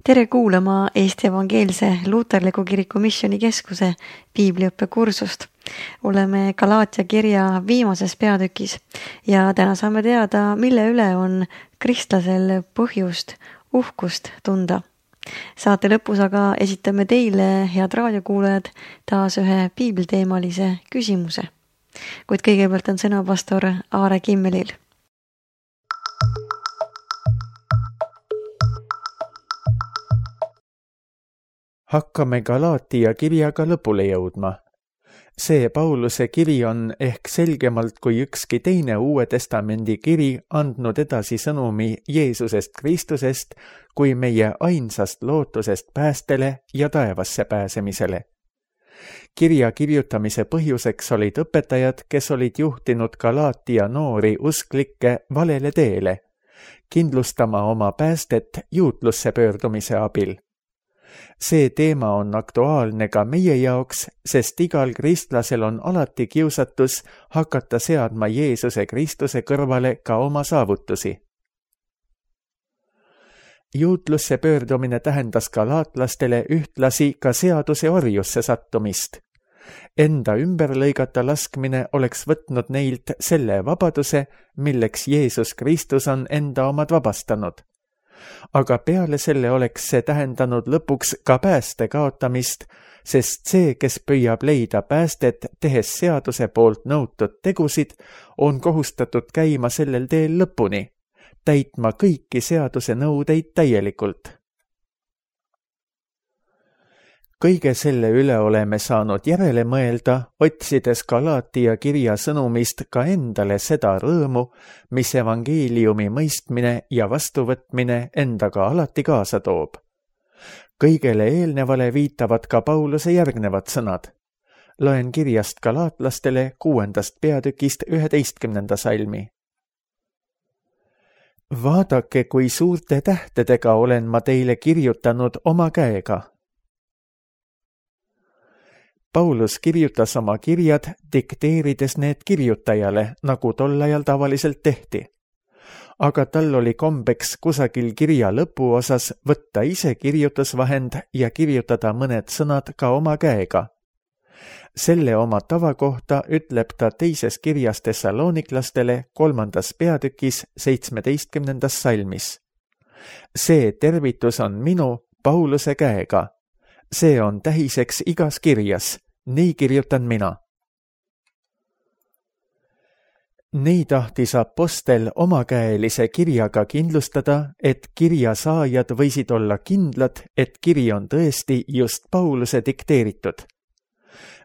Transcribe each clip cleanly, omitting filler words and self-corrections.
Tere kuulama Eesti Evangeelse Luuterliku Kiriku Missioonikeskuse piibliõppekursust. Oleme Galaatia kirja viimases peatükis ja täna saame teada, mille üle on kristlasel põhjust uhkust tunda. Saate lõpus aga esitame teile, head raadiokuulajad, taas ühe piibliteemalise küsimuse. Kuid kõigepealt on sõna pastor Aare Kimmelil. Hakkame Galaatia kirjaga lõpule jõudma. See Pauluse kiri on ehk selgemalt kui ükski teine Uue Testamendi kiri andnud edasi sõnumi Jeesusest Kristusest kui meie ainsast lootusest päästele ja taevasse pääsemisele. Kirja kirjutamise põhjuseks olid õpetajad, kes olid juhtinud Galaatia noori usklikke valele teele, kindlustama oma päästet juutlusse pöördumise abil. See teema on aktuaalne ka meie jaoks, sest igal kristlasel on alati kiusatus hakata seadma Jeesuse Kristuse kõrvale ka oma saavutusi. Juutlusse pöördumine tähendas galaatlastele ühtlasi ka seaduse orjusse sattumist. Enda ümber lõigata laskmine oleks võtnud neilt selle vabaduse, milleks Jeesus Kristus on enda omad vabastanud. Aga peale selle oleks see tähendanud lõpuks ka pääste kaotamist, sest see, kes püüab leida päästet, tehes seaduse poolt nõutud tegusid, on kohustatud käima sellel teel lõpuni, täitma kõiki seaduse nõudeid täielikult. Kõige selle üle oleme saanud järele mõelda, otsides Galaatia kirja sõnumist ka endale seda rõõmu, mis evangeeliumi mõistmine ja vastuvõtmine endaga alati kaasa toob. Kõigele eelnevale viitavad ka Pauluse järgnevad sõnad. Loen kirjast galaatlastele 6. peatükist 11. salmi. Vaadake, kui suurte tähtedega olen ma teile kirjutanud oma käega. Paulus kirjutas oma kirjad, dikteerides need kirjutajale, nagu tol ajal tavaliselt tehti. Aga tal oli kombeks kusagil kirja lõpuosas võtta ise kirjutusvahend ja kirjutada mõned sõnad ka oma käega. Selle oma tava kohta ütleb ta teises kirjas Thessaloniklastele 3. peatükis 17. salmis. See tervitus on minu Pauluse käega. See on tähiseks igas kirjas, nii kirjutan mina. Nii tahtis apostel omakäelise kirjaga kindlustada, et kirja saajad võisid olla kindlad, et kiri on tõesti just Pauluse dikteeritud.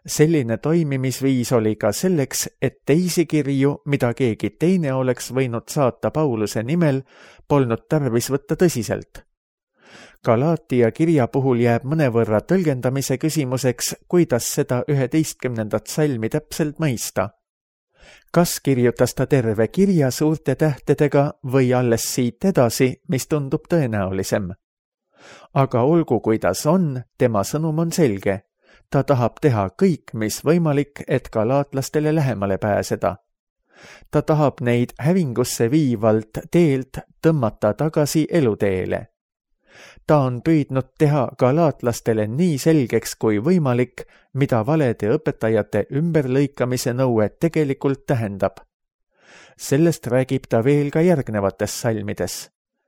Selline toimimisviis oli ka selleks, et teisi kirju, mida keegi teine oleks võinud saata Pauluse nimel, polnud tarvis võtta tõsiselt. Galaatia kirja puhul jääb mõnevõrra tõlgendamise küsimuseks, kuidas seda 11. salmi täpselt mõista. Kas kirjutas ta terve kirja suurte tähtedega või alles siit edasi, mis tundub tõenäolisem? Aga olgu kuidas on, tema sõnum on selge. Ta tahab teha kõik, mis võimalik, et galaatlastele lähemale pääseda. Ta tahab neid hävingusse viivalt teelt tõmmata tagasi eluteele. Ta on püüdnud teha galaatlastele nii selgeks kui võimalik, mida valede õpetajate ümberlõikamise nõue tegelikult tähendab. Sellest räägib ta veel ka järgnevates salmides.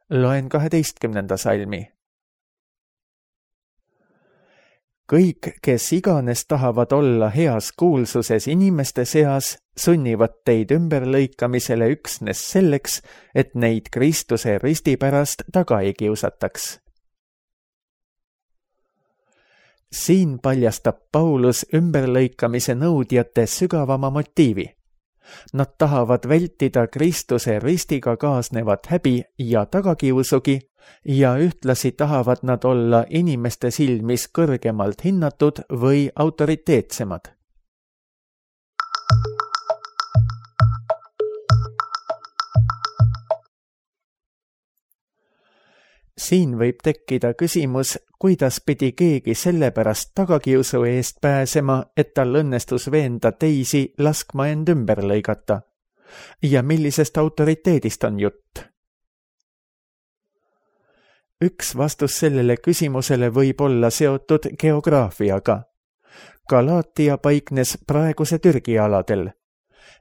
Loen 12. salmi. Kõik, kes iganes tahavad olla heas kuulsuses inimeste seas, sunnivad teid ümberlõikamisele üksnes selleks, et neid Kristuse risti pärast taga ei kiusataks. Siin paljastab Paulus ümberlõikamise nõudjate sügavama motiivi. Nad tahavad vältida Kristuse ristiga kaasnevat häbi ja tagakiusugi ja ühtlasi tahavad nad olla inimeste silmis kõrgemalt hinnatud või autoriteetsemad. Siin võib tekkida küsimus, kuidas pidi keegi sellepärast tagakiusu eest pääsema, et tal õnnestus veenda teisi laskma end ümber lõigata. Ja millisest autoriteedist on jutt? Üks vastus sellele küsimusele võib olla seotud geograafiaga. Galaatia paiknes praeguse Türgi aladel.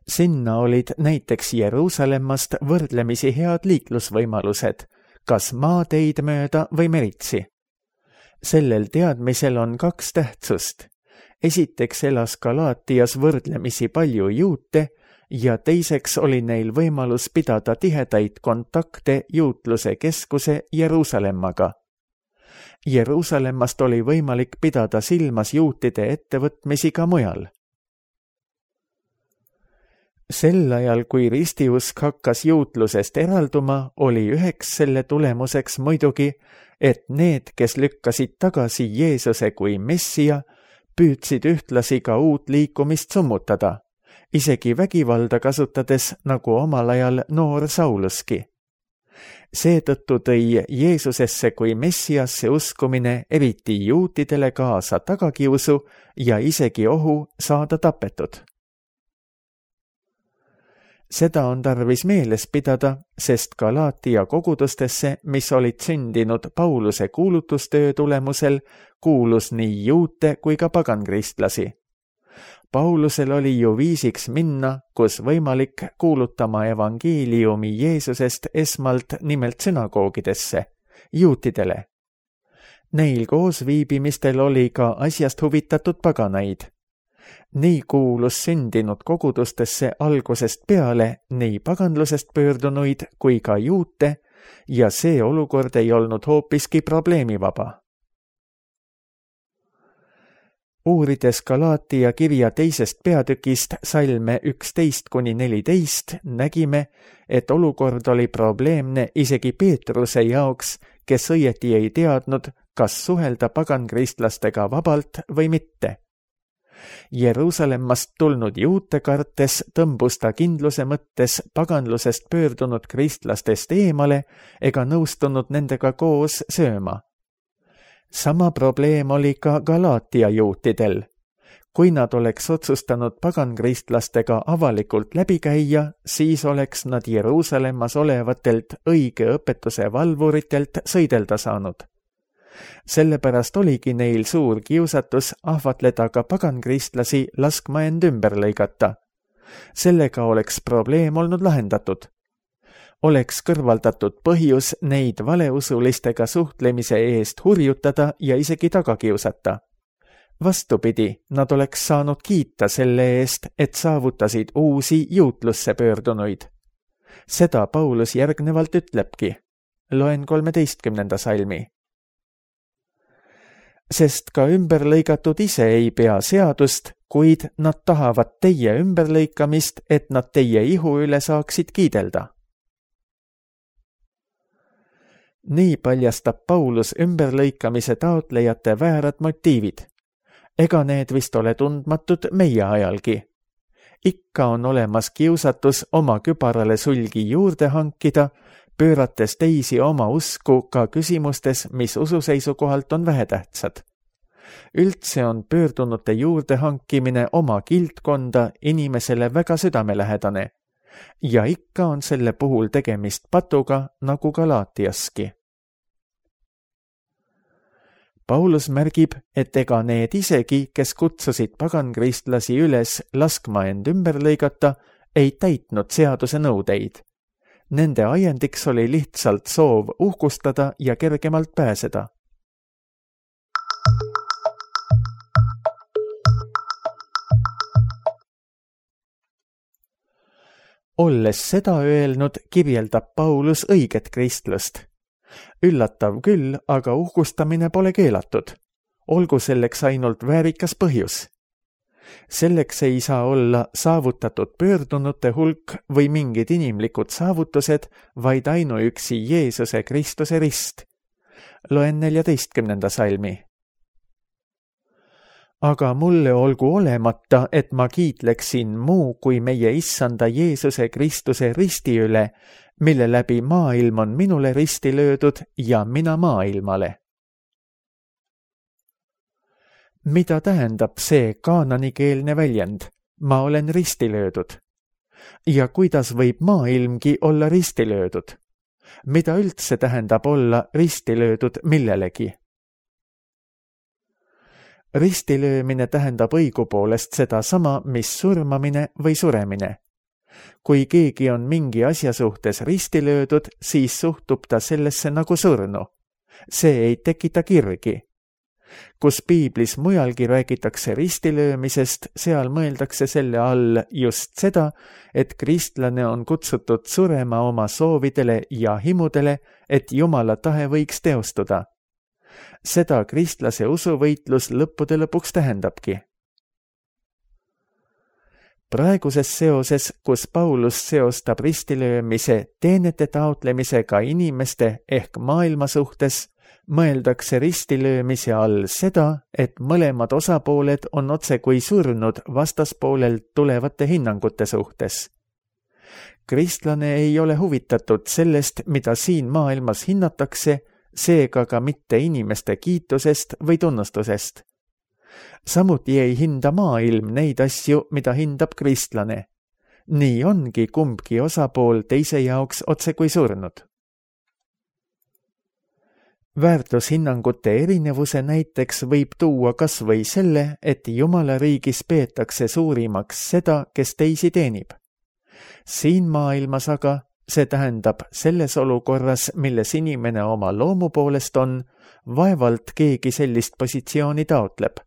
Sinna olid näiteks Jeruusalemmast võrdlemisi head liiklusvõimalused, kas maateid mööda või meritsi. Sellel teadmisel on 2 tähtsust. Esiteks elas Galaatias võrdlemisi palju juute ja teiseks oli neil võimalus pidada tihedaid kontakte juutluse keskuse Jeruusalemmaga. Jeruusalemmast oli võimalik pidada silmas juutide ettevõtmisi ka mujal. Sel ajal, kui ristiusk hakkas juutlusest eralduma, oli üheks selle tulemuseks muidugi, et need, kes lükkasid tagasi Jeesuse kui Messia, püüdsid ühtlasi ka uut liikumist summutada, isegi vägivalda kasutades, nagu omal ajal noor Sauluski. Seetõttu tõi Jeesusesse kui Messiasse uskumine eriti juutidele kaasa tagakiusu ja isegi ohu saada tapetud. Seda on tarvis meeles pidada, sest Galaatia kogudustesse, mis olid sündinud Pauluse kuulutustöö tulemusel, kuulus nii juute kui ka pagankristlasi. Paulusel oli ju viisiks minna, kus võimalik kuulutama evangeeliumi Jeesusest esmalt nimelt sünagoogidesse, juutidele. Neil koos viibimistel oli ka asjast huvitatud paganaid. Nii kuulus sündinud kogudustesse algusest peale nii paganlusest pöördunuid kui ka juute ja see olukord ei olnud hoopiski probleemivaba. Uurides Galaatia kirja 2. peatükist salme 11-14 nägime, et olukord oli probleemne isegi Peetruse jaoks, kes õieti ei teadnud, kas suhelda pagankristlastega vabalt või mitte. Jeruusalemmast tulnud juute kartes tõmbus ta kindluse mõttes paganlusest pöördunud kristlastest eemale ega nõustunud nendega koos sööma. Sama probleem oli ka Galaatia juutidel. Kui nad oleks otsustanud pagankristlastega avalikult läbi käia, siis oleks nad Jeruusalemmas olevatelt õige õpetuse valvuritelt sõidelda saanud. Sellepärast oligi neil suur kiusatus ahvatleda ka pagankristlasi laskma end ümber lõigata. Sellega oleks probleem olnud lahendatud. Oleks kõrvaldatud põhjus neid valeusulistega suhtlemise eest hurjutada ja isegi taga kiusata. Vastupidi, nad oleks saanud kiita selle eest, et saavutasid uusi juutlusse pöördunuid. Seda Paulus järgnevalt ütlebki. Loen 13. salmi. Sest ka ümberlõigatud ise ei pea seadust, kuid nad tahavad teie ümberlõikamist, et nad teie ihu üle saaksid kiidelda. Nii paljastab Paulus ümberlõikamise taotlejate väärad motiivid. Ega need vist ole tundmatud meie ajalgi. Ikka on olemas kiusatus oma kübarale sulgi juurde hankida, pöörates teisi oma usku ka küsimustes, mis usu seisukohalt on vähetähtsad. Üldse on pöördunute juurde hankimine oma kildkonda inimesele väga südamelähedane ja ikka on selle puhul tegemist patuga nagu Galaatiaski. Paulus märgib, et ega need isegi, kes kutsusid pagankristlasi üles laskma end ümber lõigata, ei täitnud seaduse nõudeid. Nende ajendiks oli lihtsalt soov uhkustada ja kergemalt pääseda. Olles seda öelnud, kirjeldab Paulus õiget kristlust. Üllatav küll, aga uhkustamine pole keelatud. Olgu selleks ainult väärikas põhjus. Selleks ei saa olla saavutatud pöördunute hulk või mingid inimlikud saavutused, vaid ainuüksi Jeesuse Kristuse rist. Loen 14. salmi. Aga mulle olgu olemata, et ma kiitleksin muu kui meie issanda Jeesuse Kristuse risti üle, mille läbi maailm on minule risti löödud ja mina maailmale. Mida tähendab see kaananikeelne väljend? Ma olen risti löödud. Ja kuidas võib maailmgi olla risti löödud? mida üldse tähendab olla ristilöödud millelegi? Ristilöömine tähendab õigupoolest sedasama, mis surmamine või suremine. Kui keegi on mingi asja suhtes risti löödud, siis suhtub ta sellesse nagu surnu. See ei tekita kirgi. Kus piiblis mujalgi räägitakse ristilöömisest, seal mõeldakse selle all just seda, et kristlane on kutsutud surema oma soovidele ja himudele, et Jumala tahe võiks teostuda. Seda kristlase usuvõitlus lõppude lõpuks tähendabki. Praeguses seoses, kus Paulus seostab ristilöömise teenete taotlemisega inimeste ehk maailma suhtes, mõeldakse ristilöömise all seda, et mõlemad osapooled on otse kui surnud vastaspoolelt tulevate hinnangute suhtes. Kristlane ei ole huvitatud sellest, mida siin maailmas hinnatakse, seega ka mitte inimeste kiitusest või tunnustusest. Samuti ei hinda maailm neid asju, mida hindab kristlane. Nii ongi kumbki osapool teise jaoks otse kui surnud. Väärtushinnangute erinevuse näiteks võib tuua kas või selle, et Jumala riigis peetakse suurimaks seda, kes teisi teenib. Siin maailmas aga, see tähendab selles olukorras, milles inimene oma loomu poolest on, vaevalt keegi sellist positsiooni taotleb.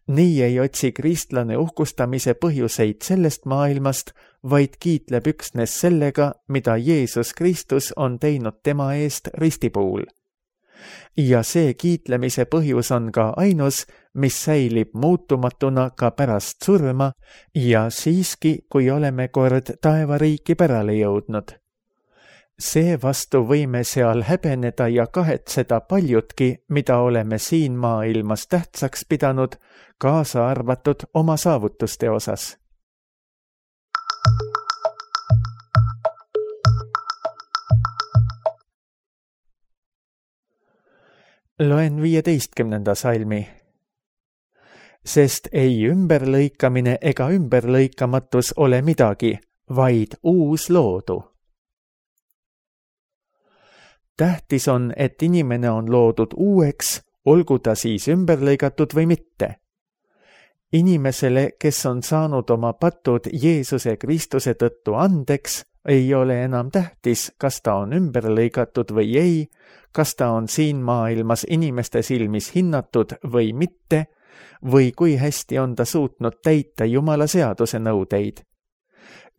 Nii ei otsi kristlane uhkustamise põhjuseid sellest maailmast, vaid kiitleb üksnes sellega, mida Jeesus Kristus on teinud tema eest ristipuul. Ja see kiitlemise põhjus on ka ainus, mis säilib muutumatuna ka pärast surma ja siiski, kui oleme kord taevariiki pärale jõudnud. Seevastu võime seal häbeneda ja kahetseda paljutki, mida oleme siin maailmas tähtsaks pidanud, kaasa arvatud oma saavutuste osas. Loen 15. salmi. Sest ei ümberlõikamine ega ümberlõikamatus ole midagi, vaid uus loodu. Tähtis on, et inimene on loodud uueks, olgu ta siis ümberlõigatud või mitte. Inimesele, kes on saanud oma patud Jeesuse Kristuse tõttu andeks, ei ole enam tähtis, kas ta on ümberlõigatud või ei, kas ta on siin maailmas inimeste silmis hinnatud või mitte, või kui hästi on ta suutnud täita Jumala seaduse nõudeid.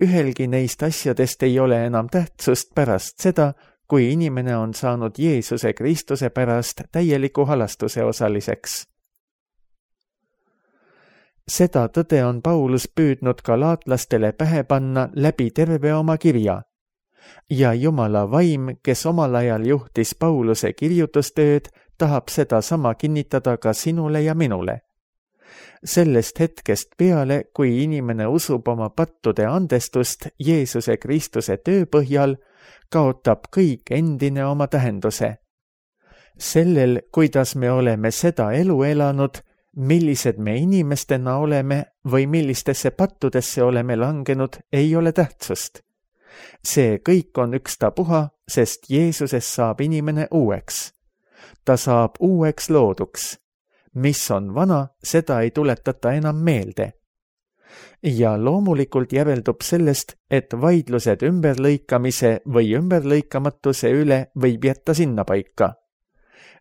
Ühelgi neist asjadest ei ole enam tähtsust pärast seda, kui inimene on saanud Jeesuse Kristuse pärast täieliku halastuse osaliseks. Seda tõde on Paulus püüdnud galaatlastele pähe panna läbi terve oma kirja. Ja Jumala vaim, kes omal ajal juhtis Pauluse kirjutustööd, tahab seda sama kinnitada ka sinule ja minule. Sellest hetkest peale, kui inimene usub oma pattude andestust Jeesuse Kristuse töö põhjal, kaotab kõik endine oma tähenduse. Sellel, kuidas me oleme seda elu elanud, millised me inimestena oleme või millistesse pattudesse oleme langenud, ei ole tähtsust. See kõik on ükstapuha, sest Jeesuses saab inimene uueks. Ta saab uueks looduks. Mis on vana, seda ei tuletata enam meelde. Ja loomulikult järeldub sellest, et vaidlused ümberlõikamise või ümberlõikamatuse üle võib jätta sinnapaika.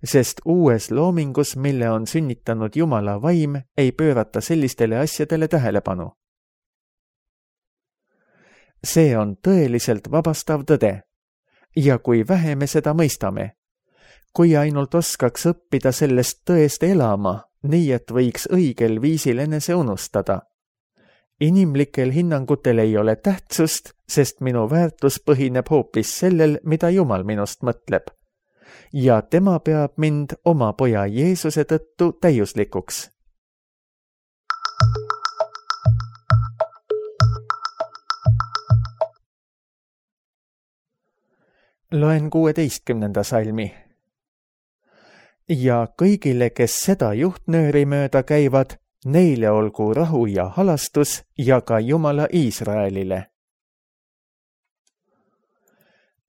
Sest uues loomingus, mille on sünnitanud Jumala vaim, ei pöörata sellistele asjadele tähelepanu. See on tõeliselt vabastav tõde. Ja kui vähe me seda mõistame, kui ainult oskaks õppida sellest tõest elama, nii et võiks õigel viisil enese unustada. Inimlikel hinnangutel ei ole tähtsust, sest minu väärtus põhineb hoopis sellel, mida Jumal minust mõtleb. Ja tema peab mind oma poja Jeesuse tõttu täiuslikuks. Loen 16. salmi. Ja kõigile, kes seda juhtnööri mööda käivad, neile olgu rahu ja halastus ja ka Jumala Iisraelile.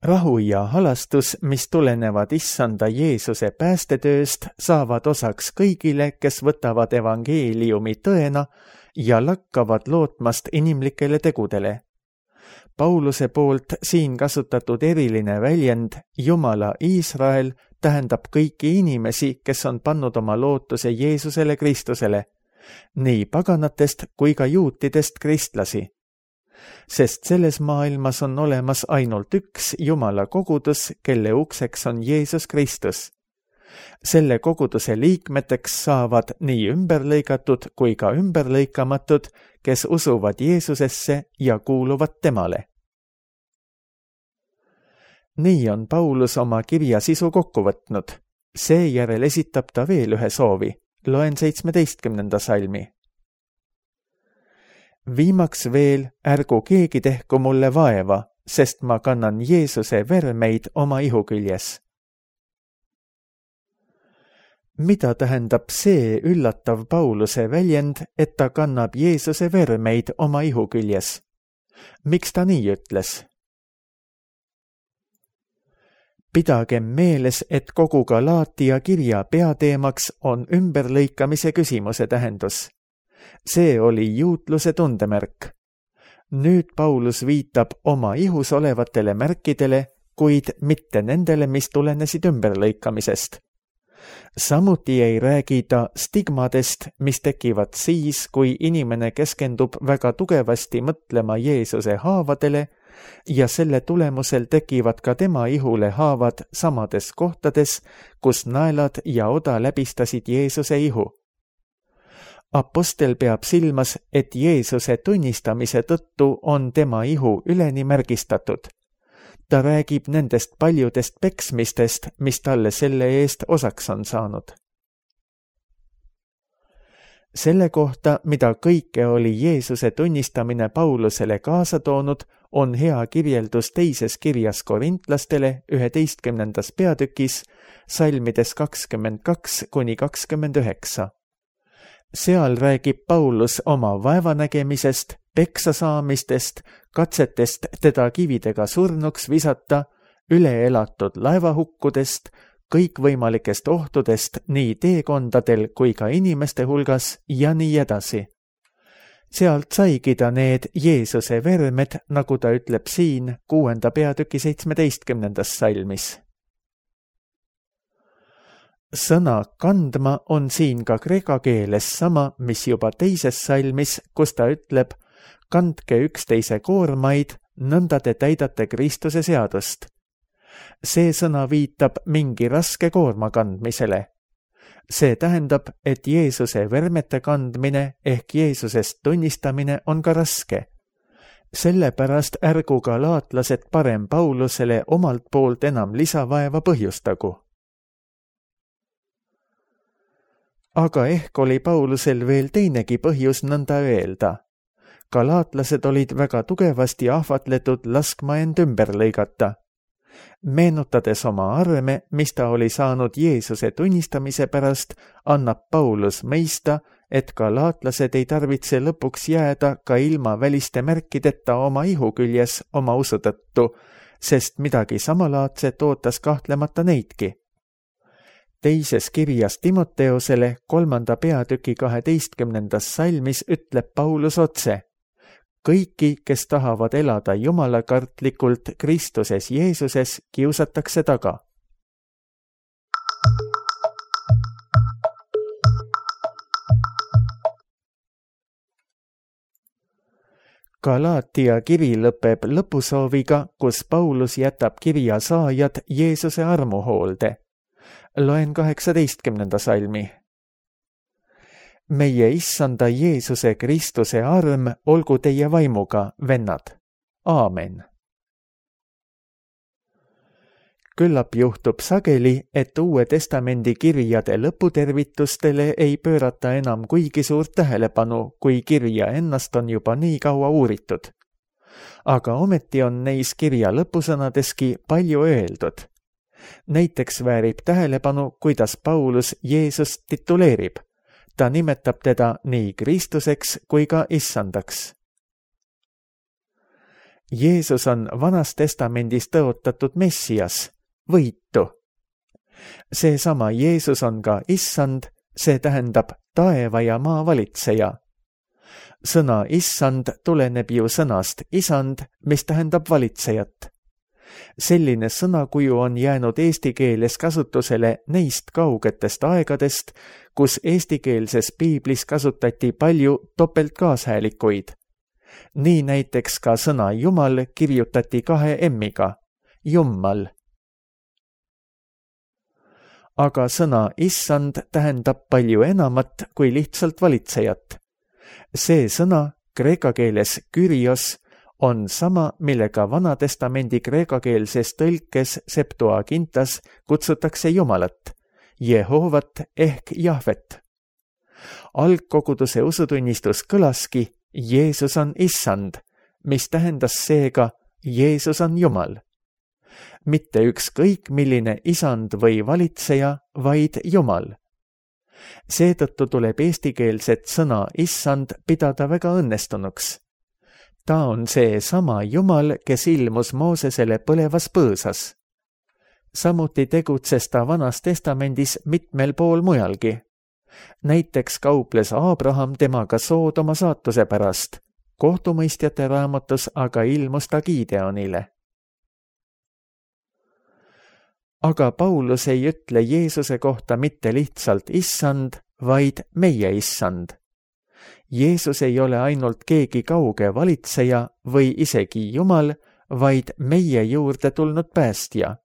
rahu ja halastus, mis tulenevad Issanda Jeesuse päästetööst, saavad osaks kõigile, kes võtavad evangeeliumi tõena ja lakkavad lootmast inimlikele tegudele. Pauluse poolt siin kasutatud eriline väljend Jumala Iisrael tähendab kõiki inimesi, kes on pannud oma lootuse Jeesusele Kristusele, nii paganatest kui ka juutidest kristlasi. Sest selles maailmas on olemas ainult üks Jumala kogudus, kelle ukseks on Jeesus Kristus. Selle koguduse liikmeteks saavad nii ümberlõigatud kui ka ümberlõikamatud, kes usuvad Jeesusesse ja kuuluvad temale. Nii on Paulus oma kirja sisu kokku võtnud. Seejärel esitab ta veel ühe soovi. Loen 17. salmi. Viimaks veel, ärgu keegi tehku mulle vaeva, sest ma kannan Jeesuse vermeid oma ihu küljes. Mida tähendab see üllatav Pauluse väljend, et ta kannab Jeesuse vermeid oma ihu küljes? Miks ta nii ütles? Pidagem meeles, et kogu Galaatia kirja peateemaks on ümberlõikamise küsimuse tähendus. See oli juutluse tundemärk. Nüüd Paulus viitab oma ihus olevatele märkidele, kuid mitte nendele, mis tulenesid ümberlõikamisest. Samuti ei räägi ta stigmadest, mis tekivad siis, kui inimene keskendub väga tugevasti mõtlema Jeesuse haavadele ja selle tulemusel tekivad ka tema ihule haavad samades kohtades, kus naelad ja oda läbistasid Jeesuse ihu. Apostel peab silmas, et Jeesuse tunnistamise tõttu on tema ihu üleni märgistatud. Ta räägib nendest paljudest peksmistest, mis talle selle eest osaks on saanud. Selle kohta, mida kõike oli Jeesuse tunnistamine Paulusele kaasa toonud, on hea kirjeldus teises kirjas korintlastele 11. peatükis, salmides 22–29. Seal räägib Paulus oma vaevanägemisest, peksasaamistest, katsetest teda kividega surnuks visata, üleelatud laevahukkudest, kõikvõimalikest ohtudest nii teekondadel kui ka inimeste hulgas ja nii edasi. Sealt saigi ta need Jeesuse vermed, nagu ta ütleb siin 6. peatüki 17. salmis. Sõna kandma on siin ka kreeka keeles sama, mis juba teises salmis, kus ta ütleb, kandke üksteise koormaid, nõnda te täidate Kristuse seadust. See sõna viitab mingi raske koorma kandmisele. See tähendab, et Jeesuse vermete kandmine ehk Jeesusest tunnistamine on ka raske. Sellepärast ärgu galaatlased parem Paulusele omalt poolt enam lisavaeva põhjustagu. Aga ehk oli Paulusel veel teinegi põhjus nõnda öelda. Galaatlased olid väga tugevasti ahvatletud laskma end ümber lõigata. Meenutades oma arme, mis ta oli saanud Jeesuse tunnistamise pärast, annab Paulus mõista, et galaatlased ei tarvitse lõpuks jääda ka ilma väliste märkideta oma ihu küljes oma usu tõttu, sest midagi samalaadset ootas kahtlemata neidki. Teises kirjas Timoteosele 3. peatüki 12. salmis ütleb Paulus otse, kõiki, kes tahavad elada jumalakartlikult Kristuses Jeesuses, kiusatakse taga. Galaatia kiri lõpeb lõpusooviga, kus Paulus jätab kirja saajad Jeesuse armuhoolde. Loen 18. salmi. Meie Issanda Jeesuse Kristuse arm olgu teie vaimuga, vennad. Aamen. Küllap juhtub sageli, et Uue Testamendi kirjade lõputervitustele ei pöörata enam kuigi suurt tähelepanu, kui kirja ennast on juba nii kaua uuritud. Aga ometi on neis kirja lõpusõnadeski palju öeldud. Näiteks väärib tähelepanu, kuidas Paulus Jeesust tituleerib. Ta nimetab teda nii Kristuseks kui ka Issandaks. Jeesus on Vanas Testamendis tõotatud Messias, võitu. Seesama Jeesus on ka Issand, see tähendab taeva ja maa valitseja. Sõna Issand tuleneb ju sõnast isand, mis tähendab valitsejat. Selline sõnakuju on jäänud eesti keeles kasutusele neist kaugetest aegadest, kus eestikeelses piiblis kasutati palju topeltkaashäälikuid. Nii näiteks ka sõna Jumal kirjutati 2 M-iga, Jummal. Aga sõna Issand tähendab palju enamat kui lihtsalt valitsejat. See sõna, kreeka keeles Kyrios, on sama, millega Vanatestamendi kreekakeelses tõlkes Septuagintas kutsutakse Jumalat, Jehovat ehk Jahvet. Algkoguduse usutunnistus kõlaski Jeesus on Issand, mis tähendas seega Jeesus on Jumal. Mitte ükskõik milline isand või valitseja, vaid Jumal. Seetõttu tuleb eestikeelset sõna Issand pidada väga õnnestunuks. Ta on see sama Jumal, kes ilmus Moosesele põlevas põõsas. Samuti tegutses ta Vanas Testamendis mitmel pool mujalgi. Näiteks kauples Abraham temaga Soodoma saatuse pärast, kohtumõistjate raamatus aga ilmus ta Gideonile. Aga Paulus ei ütle Jeesuse kohta mitte lihtsalt Issand, vaid meie Issand. Jeesus ei ole ainult keegi kauge valitseja või isegi Jumal, vaid meie juurde tulnud päästja.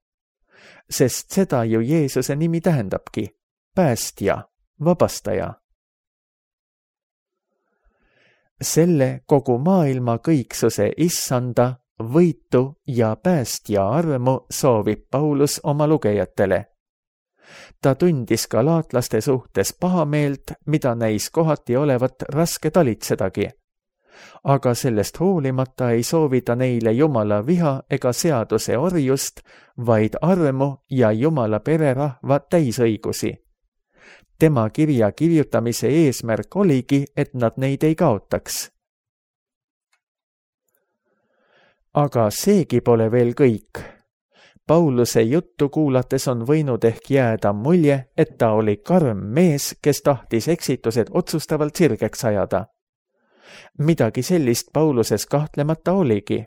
Sest seda ju Jeesuse nimi tähendabki, päästja, vabastaja. Selle kogu maailma kõiksuse Issanda, võitu ja päästja armu soovib Paulus oma lugejatele. Ta tundis galaatlaste suhtes pahameelt, mida näis kohati olevat raske talitsedagi. Aga sellest hoolimata ei soovi ta neile Jumala viha ega seaduse orjust, vaid armu ja Jumala pererahva täisõigusi. Tema kirja kirjutamise eesmärk oligi, et nad neid ei kaotaks. Aga seegi pole veel kõik. Pauluse juttu kuulates on võinud ehk jääda mulje, et ta oli karm mees, kes tahtis eksitused otsustavalt sirgeks ajada. Midagi sellist Pauluses kahtlemata oligi.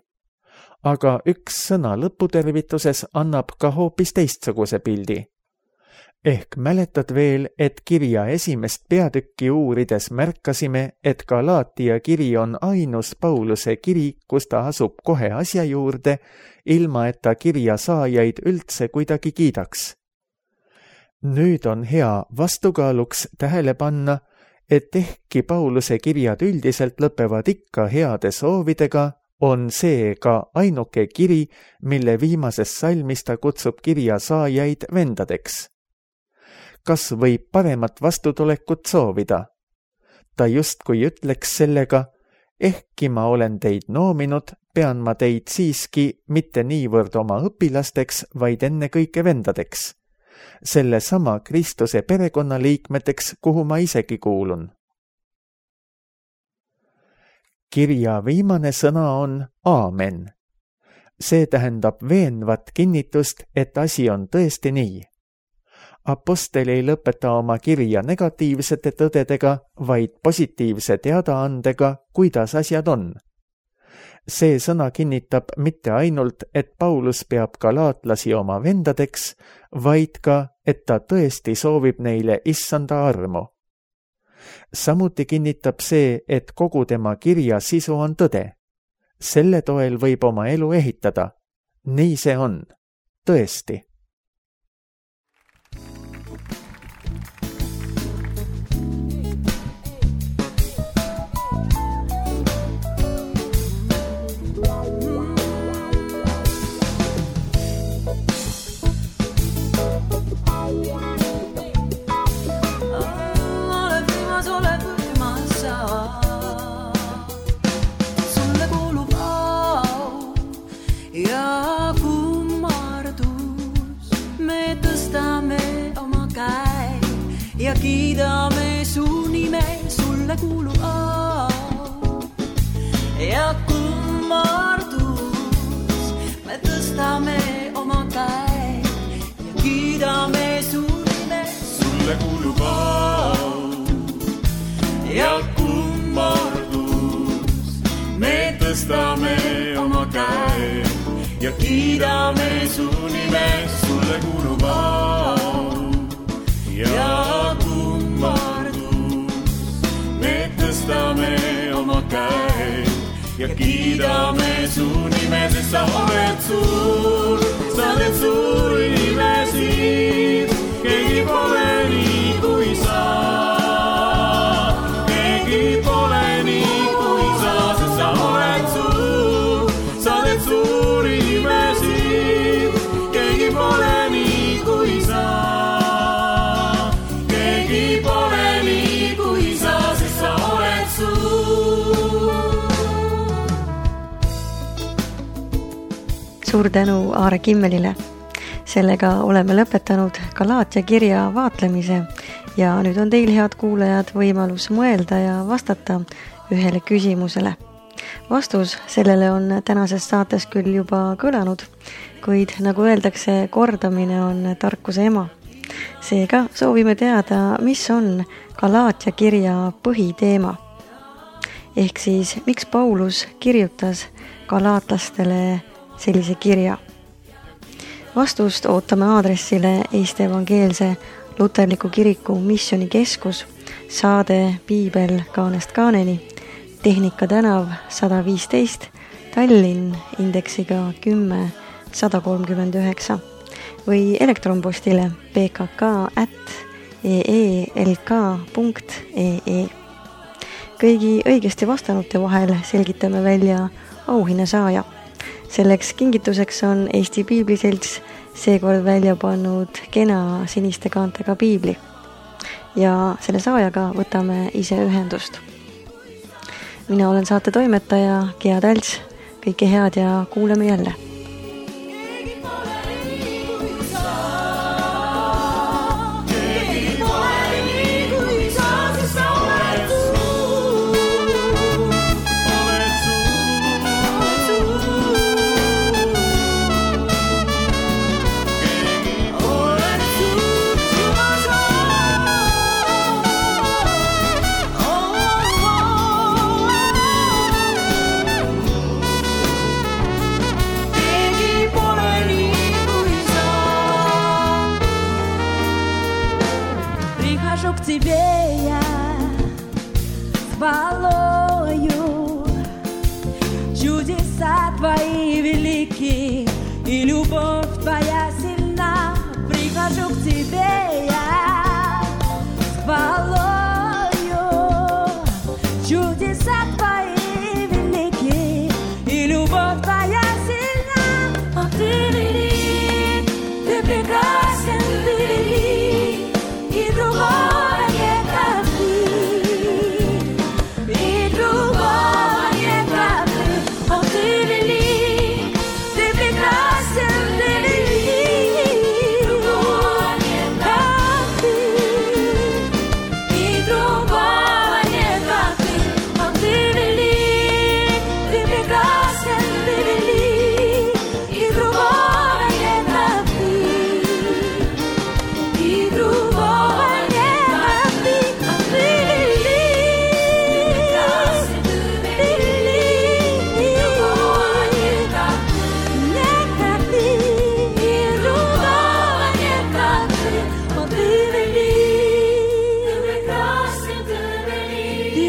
Aga üks sõna lõputervituses annab ka hoopis teistsuguse pildi. Ehk mäletad veel, et kirja esimest peatükki uurides märkasime, et Galaatia kiri on ainus Pauluse kiri, kus ta asub kohe asja juurde, ilma et ta kirja saajaid üldse kuidagi kiidaks. Nüüd on hea vastukaaluks tähele panna, et ehkki Pauluse kirjad üldiselt lõpevad ikka heade soovidega, on see ka ainuke kiri, mille viimases salmis ta kutsub kirja saajaid vendadeks. Kas võib paremat vastutulekut soovida? Ta justkui ütleks sellega, ehkki ma olen teid noominud, pean ma teid siiski mitte niivõrd oma õpilasteks, vaid ennekõike vendadeks. Selle sama Kristuse perekonnaliikmeteks, kuhu ma isegi kuulun. Kirja viimane sõna on aamen. See tähendab veenvat kinnitust, et asi on tõesti nii. Apostel ei lõpeta oma kirja negatiivsete tõdedega, vaid positiivse teadaandega, kuidas asjad on. See sõna kinnitab mitte ainult, et Paulus peab galaatlasi oma vendadeks, vaid ka, et ta tõesti soovib neile issanda armu. Samuti kinnitab see, et kogu tema kirja sisu on tõde. Selle toel võib oma elu ehitada. Nii see on. Tõesti. Ja kiidame su nime, sulle kuulub au ja kummardus. tõstame oma käe ja kiidame su nime. Sulle kuulub au ja kummardus. Me tõstame oma käe ja kiidame su nime. Sulle kuulub au ja kummardus. Me tõstame oma käe ja kiidame su nime, sest sa oled suur, sa oled suur inimesi, keegi pole nii kui sa. Keegi pole nii kui sa, sest sa oled suur inimesi, keegi pole nii kui sa. Keegi pole nii kui sa, sest sa oled suur. Suur tänu Aare Kimmelile. Sellega oleme lõpetanud Galaatia kirja vaatlemise ja nüüd on teil, head kuulajad, võimalus mõelda ja vastata ühele küsimusele. Vastus sellele on tänases saates küll juba kõlanud, kuid nagu öeldakse, kordamine on tarkuse ema. Seega soovime teada, mis on Galaatia kirja põhiteema. Ehk siis, miks Paulus kirjutas galaatlastele sellise kirja? Vastust ootame aadressile Eesti Evangeelse Luterliku Kiriku Missioonikeskus, saade Piibel kaanest kaaneni, Tehnika tänav 115, Tallinn, indeksiga 10139 või elektronpostile pkk@eelk.ee. Kõigi õigesti vastanute vahel selgitame välja auhinna saaja. Selleks kingituseks on Eesti Piibliselts seekord välja pannud kena siniste kaantega piibli ja selle saajaga võtame ise ühendust. Mina olen saate toimetaja Gea Talts, kõike head ja kuuleme jälle. К тебе я с хвалою, чудеса твои велики, и любовь твоя сильна. Прихожу к тебе я с хвалою, чудеса твои велики, и любовь твоя сильна. О, ты велик, ты прекрасен, ты велик, и другой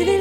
ты